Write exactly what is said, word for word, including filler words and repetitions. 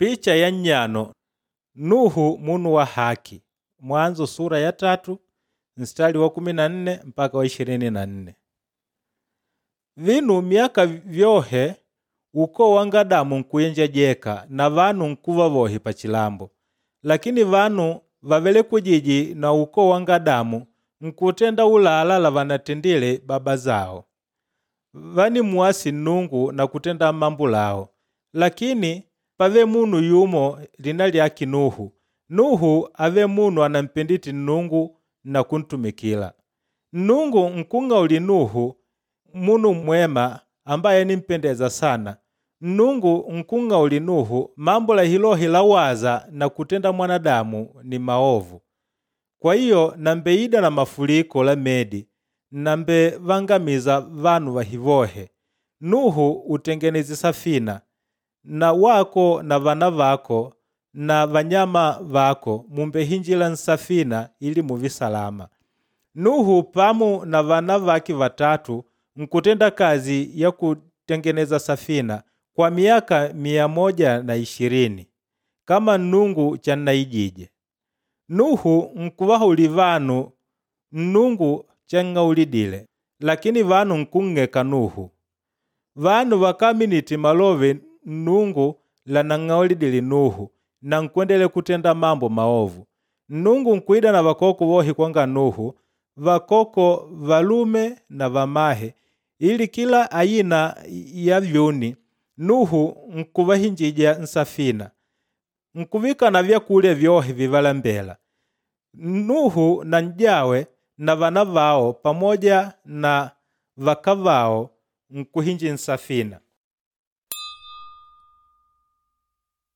Picha ya nnyano Nuhu munu wa haki. Mwanzo sura ya tatu mstari wa kumi na nne mpaka wa ishirini na nne. Vinu miaka vyohe ukoo wa ngadamu nkuyenjejeka na vanu nkuva vohi pachilambo. Lakini vanu vavele kujiji na ukoo wa ngadamu nkutenda ulala la vanatendile baba zao. Vanimuasi Nnungu na kutenda mambo lao. Lakini pave munu yumo lina lyake Nuhu. Nuhu ave munu anampendite Nnungu na kuntumikila. Nnungu nkung'auli Nuhu munu mwema ambaye nimpendeza sana. Nnungu nkung'auli Nuhu mambo la hilohi lawaza na kutenda mwanadamu ni maovu. Kwa hiyo nambeida na mafuliko la medi nambe vangamiza vanu vahivohe. Nuhu utengeneze safina na wako na vana vako na vanyama vako mumbehinjila nsafina ili muvi salama. Nuhu pamu na vana vake vatatu nkutenda kazi ya kutengeneza safina kwa miaka mia moja na ishirini kama Nnungu channaijije. Nuhu nkuvahauli vanu Nnungu chang'aulidile, lakini vanu nkung'eka Nuhu. Vanu vakaminiti malove Nnungu lanang'aulidile Nuhu na nkwendele kutenda mambo maovu. Nnungu nkuida na vakoko vohi kwanga Nuhu, vakoko valume na vamahe, ili kila aina ya vyuni Nuhu nkuvahinjija nsafina. Nkuvika na vyakulya vyohe vivalambela. Nuhu na njawe na vana vao pamoja na vakavao nkuhinji nsafina.